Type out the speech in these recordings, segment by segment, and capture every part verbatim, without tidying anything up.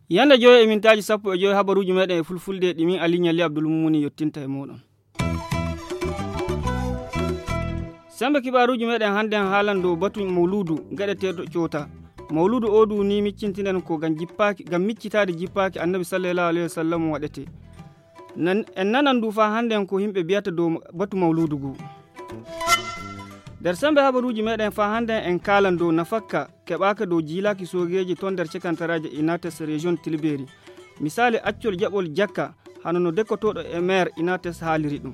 Yande joyo e mintaaji sappo e joyo, habaruuji meɗen e fulfulde ɗi min Aliñali Abdul Mumuni yottinta e moɗon. Sembe kibaaruuji meɗen hannden haalan dow batu mawluudu gaɗeteeɗo coota. Mawluudu oo du ni miccintinen ko ngam jippaaki, ngam miccitaade jippaaki Annabi sallallahu alayhi wa sallam waɗetee. Nan-, en nanan du faa hannden ko yimɓe biyata dow batu mawluudu ngu. Nder sembe habaruuji meɗen faa hannden en kaalan dow nafakka keɓaaka dow jiilaaki soogeeji ton nder cekantaraaje Inates Region Tilbeeri. Misaali accol jaɓol jakka, hano no dekkotooɗo e meer Inates haaliri ɗum.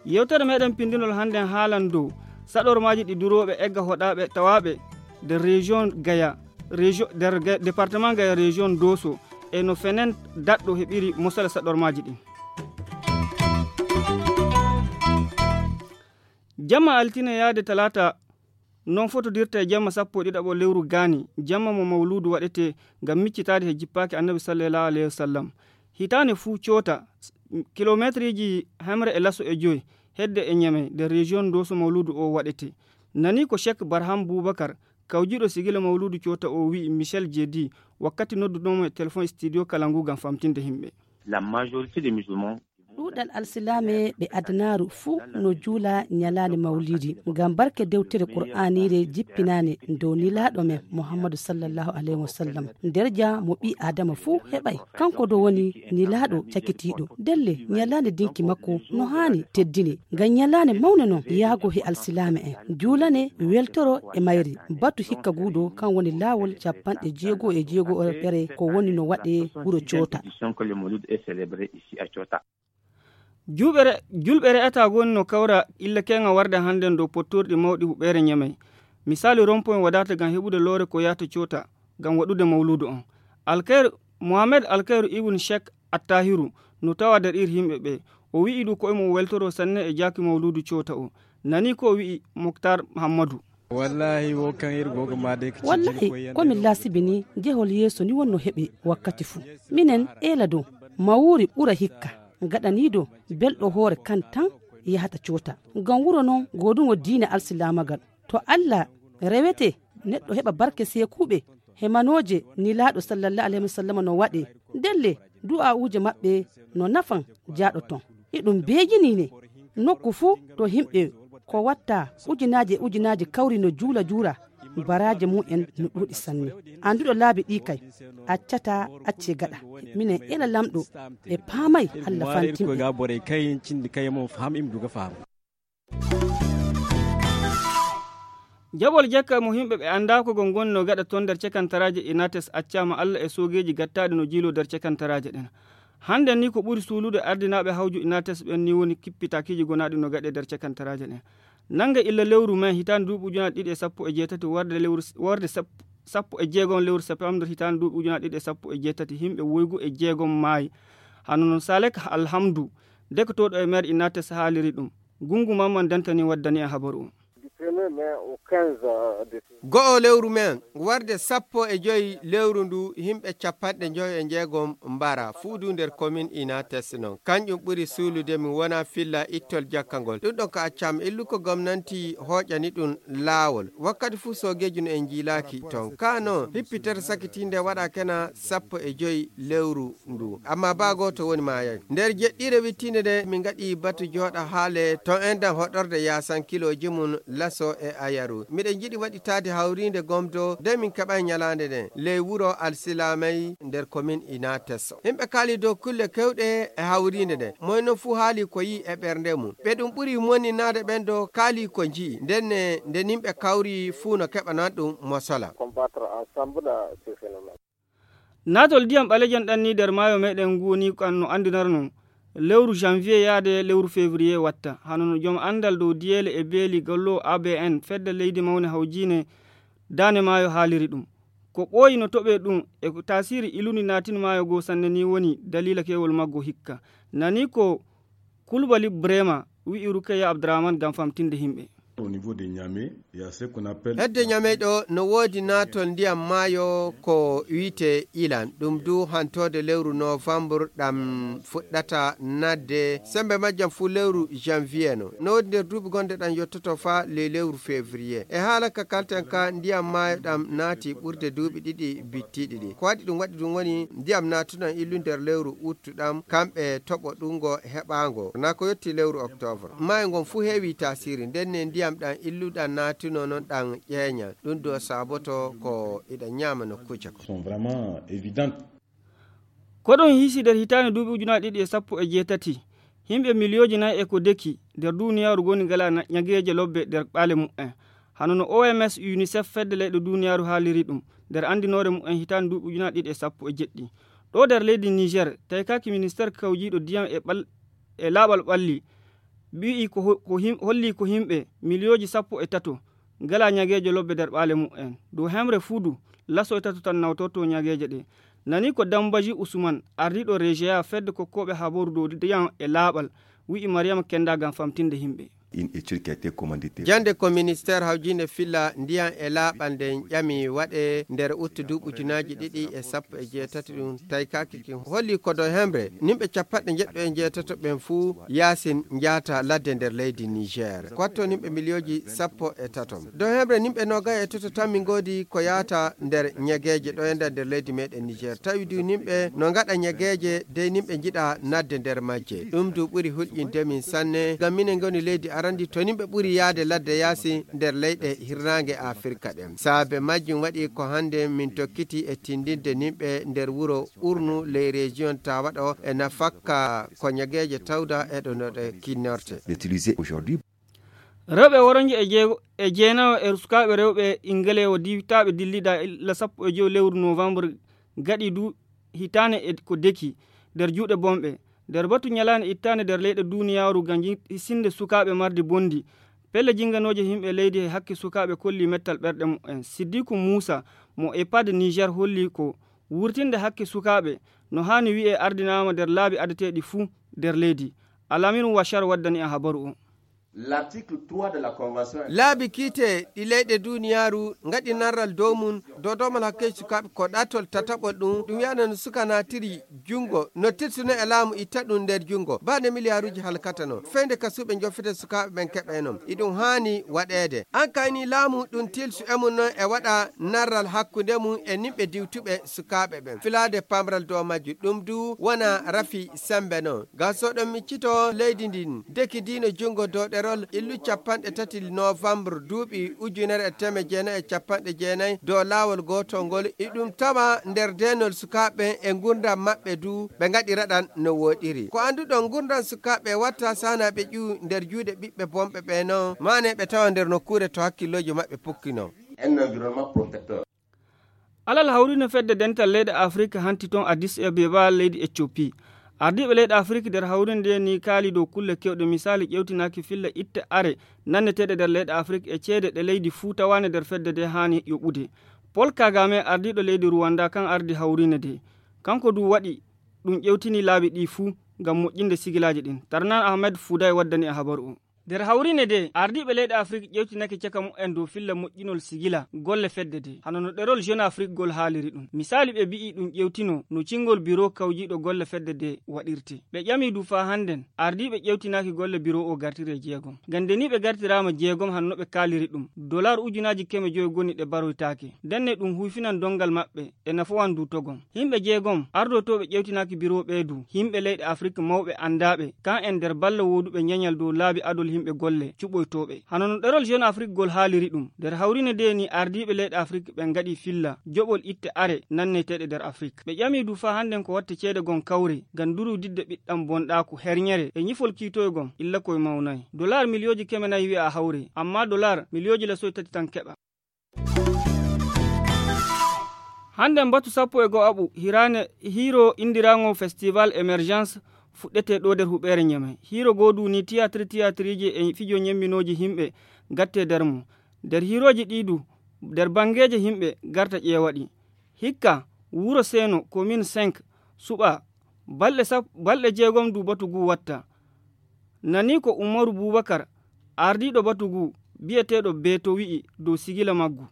Yewtere meɗen pindinol hannden haalan dow saɗormaaji ɗi durooɓe egga hoɗaaɓe tawaaɓe nder Region Gaya, Region, nder Ga-, Département Gaya Region Doso, e no fenen daɗɗo heɓiri mosala saɗormaaji ɗin. Jamma altine yaade talaata, non fotodirta e jamma sappo e ɗiɗaɓo lewru gaani, jamma mo mawluudu waɗetee ngam miccitaade he jippaaki Annabi sallallahu alayhi wa sallam. Hitaande fuu coota, kilomeetriiji hemre e laso e joy, hedde e Ñamey, nder Region Doso mawluudu oo waɗetee. Nani ko Cheikh Barham Boubacar, kawjiiɗo sigila mawluudu coota oo wi'i Michel Jeedi, wakkati nodduɗo mo e telefon studio kala ngu ngam famtinde yimɓe. La majorité des musulmans. Ɗuuɗal alsilaame ɓe adanaaru fuu no juula ñalaande mawliidi, ngam barke dewtere Qur'aaniire jippinaande dow Nulaaɗo men Muhammadu sallallahu alayhi wa sallam. Nder ja mo ɓii Aadama fuu heɓay, kanko do woni Nulaaɗo cakitiiɗo. Ndelle, ñalaande dinki makko no haani teddine, ngam ñalaande mawnde non yaago he alsilaame en, juulane weltoro e mayri. Batu hikka guuɗo kan woni laawol capanɗe jeego e jeego ere ko woni no waɗee wuro coota. Juuɓere, julɓe re'ataa woni no kawra illa keeŋa warde hannden dow pottorɗi mawɗi huɓeere Ñamey. Misaalu, rompoñ wadaata ngam heɓude loore ko yahata coota ngam waɗude mawluudu on. Alkayru, Mohamed Alkayru Ibn Cheikh Attahiru no tawa nder ir yimɓe ɓe. O wi'i du ko e mum weltoro sanne e jaaki mawluudu coota o. Nani ko o wi'i Moktar Hammadu. Wallahi, wo kan ir gogo ma de. Wallahi, ko min laasibi ni, jehol yeeso ni wonno heɓe wakkati fuu. Minen eela dow, mawuuri ɓura hikka, gaɗaniido belɗo hoore kan tan yahata coota. Ngam wuro non gooduŋo diine alsilaamagal. To Allah rewete, neɗɗo heɓa barke seekuuɓe, he manooje Nulaaɗo sallallahu alayhi wa sallam no waɗee. Ndelle, du'aa'uuje maɓɓe no nafan jaaɗo ton. Iɗum beejinii ne. Nokku fuu to yimɓe ko watta ujunaaje e ujunaaje kawri no juula juura, baraaje mum en no ɗuuɗi sanne. Annduɗo laabi ɗii kay, accataa accee gaɗa. Minen ela Laamɗo ɓe paamay Allah fantin ɓe. Jaɓol jekka mo yimɓe ɓe anndaa ko gon gonno gaɗa ton nder cekantaraaje Inates accaama Allah e soogeeji gattaaɗi no jiiloo nder cekantaraaje ɗen. Hannden ni ko ɓuri suulude ardinaaɓe hawju Inates ɓen ni woni kippitaakiiji gonaaɗi no gaɗee nder cekantaraaje ɗen. Nannge illa lewru men hitaande duuɓi ujunaaji ɗiɗi e sappo e jeetati warde lewru s-, warde sep-, sappo e jeegom lewru septembre hitaande duuɓi ujunaaji ɗiɗi e sappo e jeetati, yimɓe woygu e jeegom maayi. Hano no Salek Alhamdu, dekotooɗo e meer Inates haaliri ɗum. Gungu Mamman Dantani waddani en habaru o. Go'o lewru men, warde sappo e joy lewru ndu, yimɓe capanɗe njoyo e jeegom mbara, fuu du nder komin Inates non. Kanƴum ɓuri suulude min wona filla ittol jakka ngol. Ɗum ɗon ko accam illuko gomnanti hooƴani ɗum laawol. Wakkati fuu soogeeji no en njiilaaki ton. Ka non, hippitere sakitiinde waɗa kena sappo e joy lewru ndu. Amma baa gooto woni maayay. Nder jeɗɗiire wittiinde nde, min ngaɗi batu jooɗa haale ton enɗan hoɗorde yaasan kilooji mum laso e ayaru. Miɗen njiɗi waɗitaade hawriinde gomdo, de min keɓay ñalaande nden, ley wuro Alsilaamay nder komin Inates. Yimɓe kaali dow kulle kewɗe e hawriinde nde. Moy non fuu haali ko yi'i e ɓernde mum. Ɓe ɗum ɓuri moninaade ɓen do kaali ko nji'i. Nden ne, nde yimɓe kawri fuu no keɓanan ɗum mosola. Naatol ndiyam ɓalejan ɗan ni nder maayo meɗen ngu ni kan no anndinarno lewru janvier yaade lewru février watta. Hano no joom anndal dow diyeele e beeli gollo A B N, fedde leydi mawne hawjiine daane maayo haaliri ɗum. Ko ɓooyi no toɓee ɗum e ko taasiri ilundi naatin maayo goo sanne ni woni daliila keewol maggo hikka. Nani ko Kulbali Brema wi'i Rukeya Abdurahman ngam famtinde yimɓe. Au niveau de Niamey, il y a ce qu'on appelle hedde Ñamey ɗo no woodi naatol ndiyam maayo ko wiyetee ilan. Ɗum du hantoode lewru novembre ɗam fuɗɗata naatde, semmbe majjam fuu lewru janvier no. No woodi nder duuɓi gonɗe ɗam yottoto faa ley lewru février. E haala ka kalten ka, ndiyam maayo ɗam naati ɓurde duuɓi ɗiɗi bittiiɗi ɗi. Ko waɗi ɗum? Waɗi ɗum woni ndiyam naatuɗam illu nder lewru août ɗam, kamɓe toɓo ɗum ngo heɓaango. Naa ko yotti lewru octobre. Maayo ngon fuu heewi taasiri, nden ne ndiyam ɗam illuɗam naatuno non ɗam ƴeeña. Ɗum ɗo saaboto ko iɗa ñaama nokkuuje ko. Sont vraiment évidentes. Ko ɗum hisi nder hitaande duuɓi ujunaaje ɗiɗi e sappo e jeetati, yimɓe miliyooji nayi e ko deki nder duniyaaru ngoni ngalaa na-, ñageeje lobbe nder ɓaale mumen. Hano no O M S, UNICEF, fedde leyɗe duniyaaru haaliri ɗum nder anndinoore mumen hitaande duuɓi ujunaaje ɗiɗi e sappo e jeɗɗi. Ɗo nder leydi Niger, taykaaki ministeer kawjiiɗo ndiyam e ɓal-, e laaɓal ɓalli, ɓiyi ko ho-, ko him-, holli ko yimɓe miliyooji sappo e tato ngalaa ñageeje lobbe nder ɓaale mumen. Dow hemre fuu du, laso e tato tan nawtorto ñageeje ɗe. Nani ko Dambaji Usman, ardiiɗo Rejeya, fedde kokkooɓe habaru dow ndiyam e laaɓal, wi'i Mariama Kenda ngam famtinde yimɓe. Une étude qui a été commanditée. Jannde ko ministeer hawjiinde filla ndiyam e laaɓal nden ƴami waɗe nder uttu duuɓi ujunaaji ɗiɗi e sappo e jeetati ɗum taykaaki kin holli ko dow hemre nimɓe capanɗe njeɗɗo e njeetato ɓen fuu yaasin njaata ladde nder leydi Niger. Ko watto nimɓe miliyooji sappo e tato. Dow hemre nimɓe noogay e tato tan min ngoodi ko yaata nder ñegeeje ɗo e nder leydi meɗen Niger. Tawi du nimɓe no ngaɗa ñegeeje dey nimɓe njiɗa nadde nder majje. Ɗum du ɓuri hulƴinde min sanne, ngam minen ngoni leydi arandi to nimɓe ɓuri yaade ladde yaasi nder leyɗe hirnaange Afirka ɗen. Saabe majjum waɗi ko hannde min tokkiti e tindinde nimɓe nder wuro Urnu ley région Tawa ɗo e nafakka ko ñegeeje tawda e ɗo no ɗe kinnorte. D'utiliser aujourd'hui. Rewɓe woronje e jeego-, e jeenayo e sukaaɓe rewɓe Ingelewo diwtaaɓe dillidaa illa sappo e jowi lewru novembre gaɗi du hitaane e ko deki nder juuɗe bonɓe. Nder batu ñalaande ittaande nder leyɗe duniyaaru ngam ji-, hisinde sukaaɓe mardi bondi. Pelle jinganooje yimɓe leydi e hakke sukaaɓe kolli mettal ɓerɗe mumen. Siddiku Muusa mo EHPAD Niger holli ko wurtinde hakke sukaaɓe no haani wi'e ardinaama nder laabi adeteeɗi fuu nder leydi. Alaminu Washar waddani en habaru o. L'article trois de la convention. Laabi kiite ɗi leyɗe duniyaaru ngaɗi narral dow mum, dow doomal hakkeeji sukaaɓe ko ɗatol tataɓol ɗum, ɗum wi'ano no suka naatiri junngo, no tilsuno e laamu itta ɗum nder junngo. Baɗe miliyaaruuji halkata non. Feyde ka suuɓe njofete sukaaɓe ɓen keɓa e non. Iɗum haani waɗeede. An kayni laamu ɗum tilsu e mum non e waɗa narral hakkunde mum e nimɓe diwtuɓe sukaaɓe ɓen. Filaade pamral dow majju ɗum du wona rafi sembe non. Gasoɗon miccito leydi ndin, deki diino junngo dow ɗerol illu capanɗe tati novembre duuɓi ujunere e teeme jeenayi e capanɗe jeenayi dow laawol gootol ngol, iɗum tawa nder deenol sukaaɓe e ngurndan maɓɓe du, ɓe ngaɗiraɗan no wooɗiri. Ko annduɗon ngurndan sukaaɓe watta saana ɓe ƴuu nder juuɗe ɓiɓɓe bonɓe ɓe non, maane ɓe tawa nder nokkuure to hakkillooji maɓɓe pukkino. Un environnement protecteur. Alal hawrino fedde dental leyɗe Afirka hanti toon Addis Abeba leydi Ethiopie. Ardiiɓe leyɗe Afirka nder hawrinde ni kaali dow kulle kewɗe, misaali ƴewtinaaki filla itte are nanneteeɗe nder leyɗe Afirka e ceede ɗe leydi fuu tawaande nder fedde de haani yoɓude. Paul Kagame, ardiiɗo leydi Rwanda kan ardi hawrine de. Kanko du waɗi ɗum ƴewtini laabi ɗi fuu ngam moƴƴinde sigilaaji ɗin. Tarnan Ahmed Fuday waddani e habaru o. Nder hawrine de, ardiiɓe leyɗe Afirka ƴewtinake caka mumen dow filla moƴƴinol sigila golle fedde de. Hano no ɗerol Jeune Afrique gol haaliri ɗum. Misaali ɓe bi'i ɗum ƴewtino no cingol biro kawjiiɗo golle fedde de waɗirte. Ɓe ƴami du faa hannden, ardiiɓe ƴewtinaaki golle biro o gartiri e jeegom. Ngam nde ni ɓe gartiraama jeegom hano no ɓe kaaliri ɗum. Dolar ujunaaji keme jowi goni ɗe baroytaake. Ndenne ɗum huyfinan dongal maɓɓe e nafowan du togon. Yimɓe jeegom ardotooɓe ƴewtinaaki biro ɓee du, yimɓe leyɗe Afirka mawɓe anndaaɓe, kan en nder balla wooduɓe ñañal dow laabi adol yimɓe golle cuɓoytooɓe. Hano no ɗerol Jeune Afrique gol haaliri ɗum, nder hawrine de ni ardiiɓe leyɗe Afirka ɓen ngaɗi filla joɓol itte are nanneteeɗe nder Afirka. Ɓe ƴami du faa hannden ko watte ceede gon kawre ngam durudidde ɓiɗɗam bonɗaaku herñere e ñifol kiitoygom illa koy mawnay. Dolar miliyooji keme nayi wi'a hawre, ammaa dolar miliyooji lasoy tati tan keɓa. Hannden batu sappo e go'aɓu hiraane hiiro indiraango Festival Emergence fuɗɗete ɗo nder huɓeere Ñamey. Hiiro goo du ni tiyaatir tiyaatiriiji e fijo ñemminooji yimɓe gatte nder mum. Nder hiirooji ɗi du, nder banngeeje yimɓe garta ƴeewa ɗi. Hikka, wuro Seeno, commune cinq, suɓa, balɗe sap-, balɗe jeegom du batu ngu watta. Nani ko Umaru Bubakar, ardiiɗo batu ngu, biyeteeɗo Beto wi'i dow sigila maggu.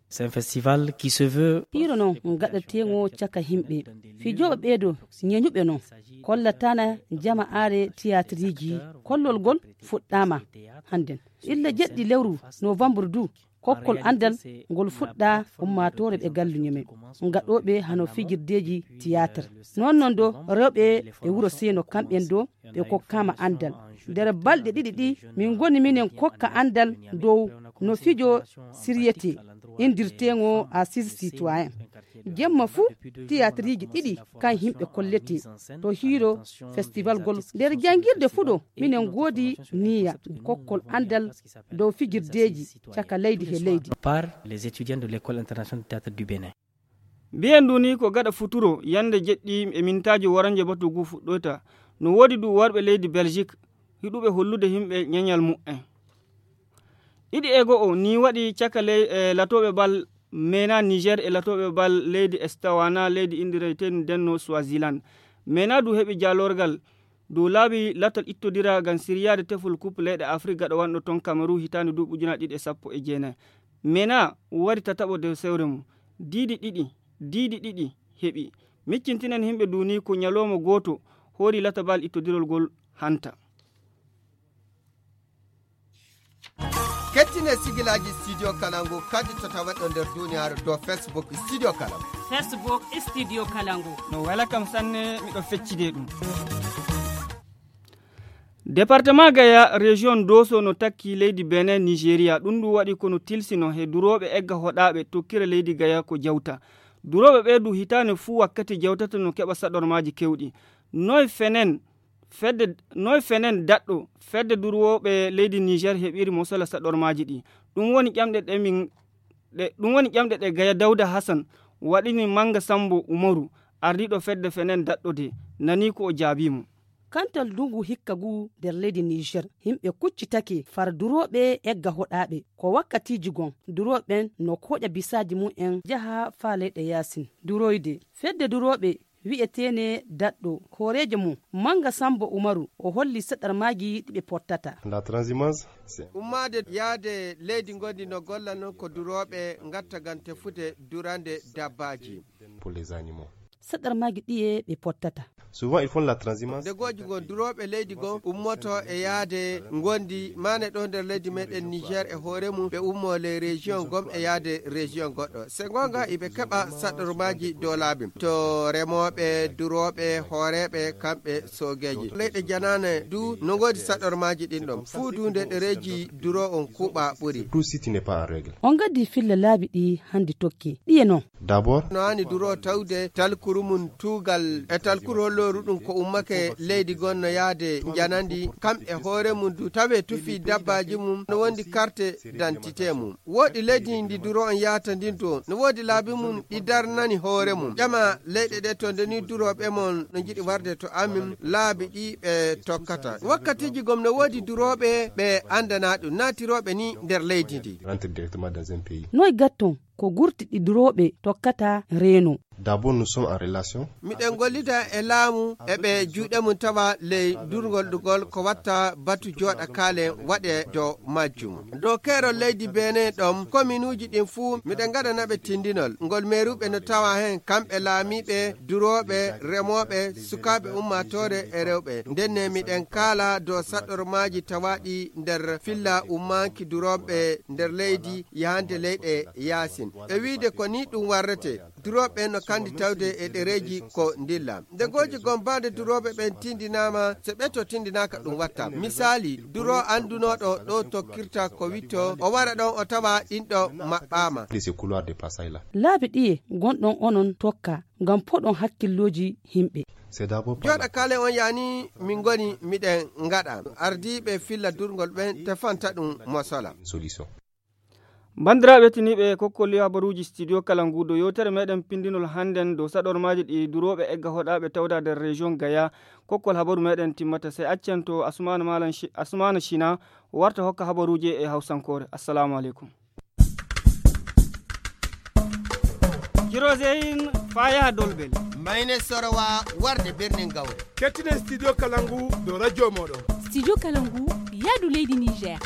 C'est un festival qui se veut. Hiiro non gaɗateeŋo caka himɓe. Fijooɓe ɓeeɗo ñeñuɓe non. Kollatana jama aare tiyaatiriji. Kollol gol fuɗɗaama hannden. Illa jeɗɗi lewru novembre du. Kokkol anndal ngol fuɗɗa ummaatoore ɓe galluñe men. Gaɗooɓe hano fijirdeeji tiyaatir. Noon non do rewɓe e wuro Seeno kamɓen do ɓe kokkaama anndal. Nder balɗe ɗiɗi ɗi, min ngoni minen kokka anndal dow no fijo siryetee, inndirteeŋo Assises Citoyens. Jemma fuu, tiyaatiriji ɗiɗi kan yimɓe kolletee to hiiro festival gol. Nder janngirde fuu ɗo, minen ngoodi niyya kokkol anndal dow fijirdeeji caka leydi he leydi. Par les étudiants de l'École internationale de théâtre du Bénin. Mbiyen ndu ni ko gaɗa futuro, yande jeɗɗi e mintaaji woranje batu ngu fuɗɗoyta. No woodi du worɓe leydi Belgique, hiɗuɓe hollude himɓe ñeñal mu'en. Ɗiɗi e go'o ni waɗi caka ley, e latooɓe bal mena Niger e latooɓe bal leydi Estawana, leydi indireytendi ndenno Swaziland. Mena du heɓi jaalorgal dow laabi latal ittodira ngam siryaade tefol Coupe leyɗe Afrik gaɗa wanɗo ton Cameroun hitaande duuɓi ujunaaji ɗiɗi e sappo e jeenayi. Mena wari tataɓo dow sewre mum. Diidi ɗiɗi, diidi ɗiɗi heɓi. Miccintinen himɓe duni ko ñalawma gooto hoori latabal ittodirol gol hanta. Kettine sigilaaji Studio Kalangu kadi to tawaɗo nder duniyaaru dow Facebook Studio Kalangu. Facebook Studio Kalangu. No wela kam sanne, miɗo feccide ɗum. Département Gaya, région Doso no takki leydi Benin, Nigeria. Ɗum ɗum waɗi kono tilsino he durooɓe egga hoɗaaɓe tokkira leydi Gaya ko jawta. Durooɓe ɓee du hitaande fuu wakkati jawtata no keɓa saɗormaaji kewɗi. Noy fenen fedde, noy fenen daɗɗo fedde durooɓe leydi Niger heɓiri mosola saɗormaaji ɗi. Ɗum woni ƴamɗe ɗe min, ɗe, ɗum woni ƴamɗe ɗe Gaya Dawda Hassan waɗini Manga Sambo Umaru, ardiiɗo fedde fenen daɗɗo de, nani ko o jaabii mo. Kantal ndungu hikka ngu nder leydi Niger, yimɓe kuccitake far durooɓe egga hoɗaaɓe. Ko wakkatiiji gon, durooɓe ɓen no koƴa bisaaji mum en jaha faa leyɗe yaasin. Duroyde. Fedde durooɓe wi'eteene daɗɗo, hooreejo mum, Manga Sambo Umaru, o holli saɗarmaaji ɗi ɓe pottata. La transhumance, c'est Ummaade yaade leydi ngondi no golla non ko durooɓe ngatta ngam tefude durande dabbaaji. Pour les animaux. Saɗarmaaji ɗiye ɓe pottata. Souvent, ils font la transhumance. Nde gooji gon durooɓe leydi gon ummoto e yaade ngondi maane ɗo nder leydi meɗen Niger e hoore mum, ɓe ummo ley région gom e yaade région goɗɗo. Se gonga iɓe keɓa saɗormaaji dow laabi. To remooɓe, durooɓe, hooreeɓe, kamɓe soogeeji. Leyɗe janaane du no ngoodi saɗormaaji ɗin ɗon. Fuu du nde ɗereeji duro on kuuɓa ɓuri. Tout site n'est pas en règle. On gaddi filla laabi ɗi handi tokki. Ɗiye non. D'abord. No haani duro tawde talkuru mum tuugal e talkuru hollooru ɗum ko ummake leydi gon no yaade njanandi, kam e hoore mum du tawe tufi dabbaaji mum no wondi carte d'identité mum. Woodi leydi ndi duro on yahata ndin to, no woodi laabi mum ɗi darnani hoore mum. Ƴama leyɗe ɗe to nde ni durooɓe mon no njiɗi warde to amin, laabi ɗi ɓe tokkata. Wakkatiiji gom no woodi durooɓe ɓe andanaa ɗum, naatirooɓe ni nder leydi ndi. Rentre directement dans un pays. Noy gatton ko gurti ɗi durooɓe tokkata reeno? D'abord, nous sommes en relation. Miɗen gollida e laamu e ɓe juuɗe mum tawa ley durngol ɗugol ko watta batu jooɗa kaalen waɗe dow majjum. Dow keerol leydi Benin ɗon, kominuuji ɗin fuu miɗen ngaɗana ɓe tindinol. Ngol meeruɓe no tawa heen, kamɓe laamiiɓe, durooɓe, remooɓe, sukaaɓe ummaatoore e rewɓe. Ndenne miɗen kaala dow saɗormaaji tawaaɗi nder filla ummaanki durooɓe nder leydi yahande leyɗe yaasin. E wiide ko ni ɗum warrete. Durooɓe ɓen no kandi tawde e ɗereeji ko ndilla. Nde gooji gombaade durooɓe ɓen tindinaama, so ɓe to tindinaaka ɗum watta. Misaali, duro anndunooɗo ɗo tokkirta ko witto, o wara ɗon o tawa ɗin ɗo maɓɓaama. De ce couloir de passage là. Laabi ɗiye gonɗon onon tokka ngam poɗon hakkillooji yimɓe? C'est d'abord par Jooɗa kaalen on yaani min ngoni miɗen ngaɗa. Ardiiɓe filla durngol ɓen tefanta ɗum mosola. Solution. Banndiraaɓe tiniiɓe kokkol habaruuji studio kala ngu dow yewtere meɗen pindinol hannden dow saɗormaaji ɗi durooɓe egga hoɗaaɓe tawda nder région Gaya. Kokkol habaru meɗen timmata, sey accen to Asumana Malam Shi-, Asumana Shina warta hokka habaruuji e hawsankoore. Assalamu aleykum. Kiroseyin faa yaha Dolbel. Mayne Sorowa warde Birnin Gawre. Kettinen studio kala ngu dow radio mooɗon. Studio kala ngu yaadu leydi Niger.